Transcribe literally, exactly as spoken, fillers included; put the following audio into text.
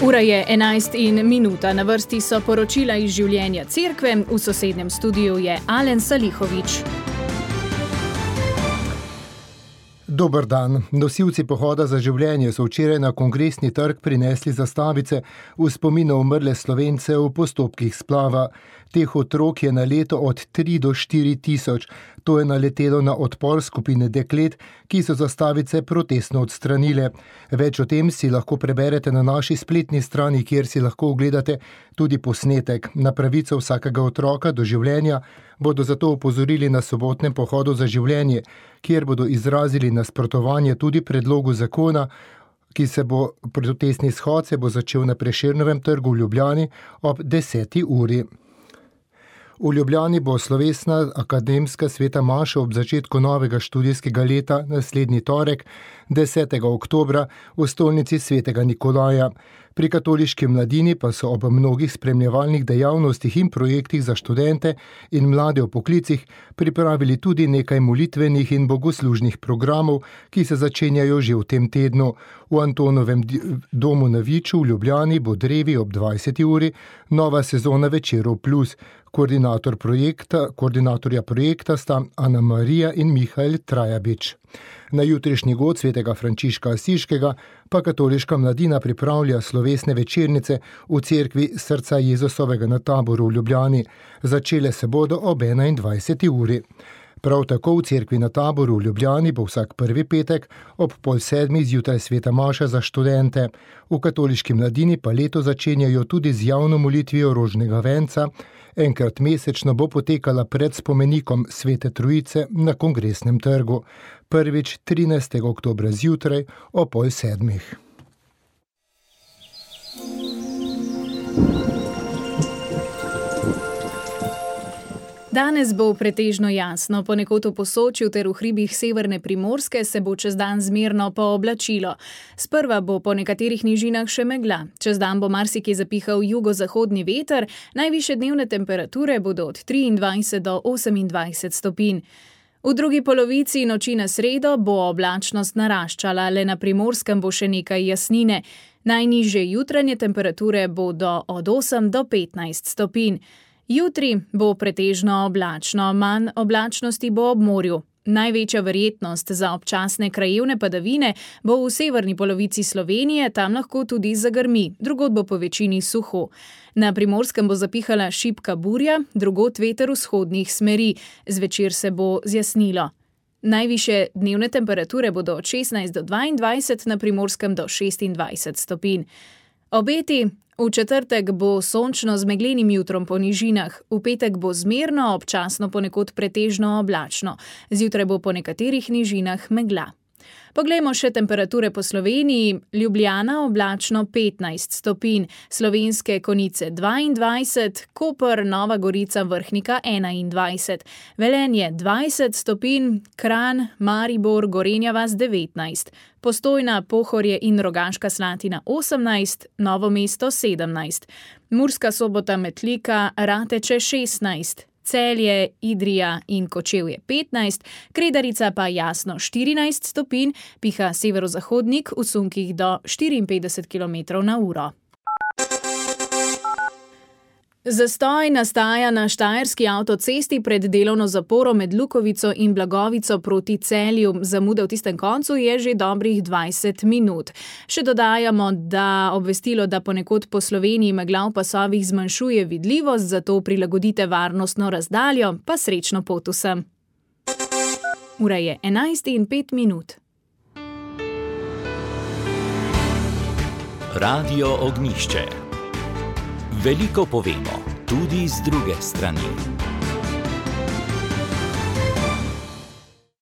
Ura je enajst in minuta, na vrsti so poročila iz življenja cerkve, v sosednjem studiu je Alen Salihovič. Dober dan. Nosilci pohoda za življenje so včeraj na Kongresni trg prinesli zastavice v spomin na umrle Slovence v postopkih splava. Teh otrok je na leto od tri do štiri tisoč. To je naletelo na odpor skupine deklet, ki so zastavice protestno odstranile. Več o tem si lahko preberete na naši spletni strani, kjer si lahko ogledate tudi posnetek. Na pravico vsakega otroka do življenja bodo zato opozorili na sobotnem pohodu za življenje, kjer bodo izrazili nasprotovanje tudi predlogu zakona, ki se bo protestni shod se bo začel na Prešernovem trgu v Ljubljani ob deseti uri. V Ljubljani bo slovesna akademska sveta maša ob začetku novega študijskega leta naslednji torek, desetega oktobra, v stolnici svetega Nikolaja. Pri katoliški mladini pa so ob mnogih spremljevalnih dejavnostih in projektih za študente in mlade v poklicih pripravili tudi nekaj molitvenih in bogoslužnih programov, ki se začenjajo že v tem tednu. V Antonovem domu na Viču v Ljubljani bo drevi ob dvajseti uri nova sezona Večerov plus. Koordinator projekta, koordinatorja projekta sta Ana Marija in Mihael Trajabič. Na jutrišnji god svetega Frančiška Asiškega pa katoliška mladina pripravlja slovesne večernice v cerkvi Srca Jezusovega na Taboru v Ljubljani. Začele se bodo ob enaindvajseti uri. Prav tako v cerkvi na Taboru v Ljubljani bo vsak prvi petek ob pol sedmih zjutraj sveta maša za študente. V katoliški mladini pa leto začenjajo tudi z javno molitvijo rožnega venca. Enkrat mesečno bo potekala pred spomenikom Svete Trojice na Kongresnem trgu. Prvič trinajstega oktobra zjutraj o pol sedmih. Danes bo pretežno jasno, ponekod v Posočju ter v hribih severne Primorske se bo čez dan zmerno pooblačilo. Sprva bo po nekaterih nižinah še megla. Čez dan bo marsikje zapihal jugozahodni veter, najvišje dnevne temperature bodo od triindvajset do osemindvajset stopinj. V drugi polovici noči na sredo bo oblačnost naraščala, le na Primorskem bo še nekaj jasnine. Najnižje jutranje temperature bodo od osem do petnajst stopinj. Jutri bo pretežno oblačno, manj oblačnosti bo ob morju. Največja verjetnost za občasne krajevne padavine bo v severni polovici Slovenije, tam lahko tudi zagrmi, drugod bo po večini suho. Na Primorskem bo zapihala šibka burja, drugod veter vzhodnih smeri, zvečer se bo zjasnilo. Najvišje dnevne temperature bodo od šestnajst do dvaindvajset, na Primorskem do šestindvajset stopinj. Obeti: v četrtek bo sončno z meglenim jutrom po nižinah, v petek bo zmerno, občasno ponekod pretežno oblačno, zjutraj bo po nekaterih nižinah megla. Poglejmo še temperature po Sloveniji. Ljubljana oblačno petnajst stopinj, Slovenske Konjice dvaindvajset, Koper, Nova Gorica, Vrhnika enaindvajset, Velenje dvajset stopinj, Kranj, Maribor, Gorenja vas devetnajst, Postojna, Pohorje in Rogaška Slatina osemnajst, Novo mesto sedemnajst, Murska Sobota, Metlika, Rateče šestnajst, Celje, Idrija in Kočevje petnajst, Kredarica pa jasno štirinajst stopinj, piha severozahodnik v sunkih do štiriinpetdeset kilometrov na uro. Zastoj nastaja na štajerski avtocesti pred delovno zaporo med Lukovico in Blagovico proti Celju. Zamuda v tistem koncu je že dobrih dvajset minut. Še dodajamo, da obvestilo, da ponekod po Sloveniji megla v pasovih zmanjšuje vidljivost, zato prilagodite varnostno razdaljo, pa srečno pot vsem. Ura je enajst in pet minut. Radio Ognjišče. Veliko povemo, tudi z druge strani.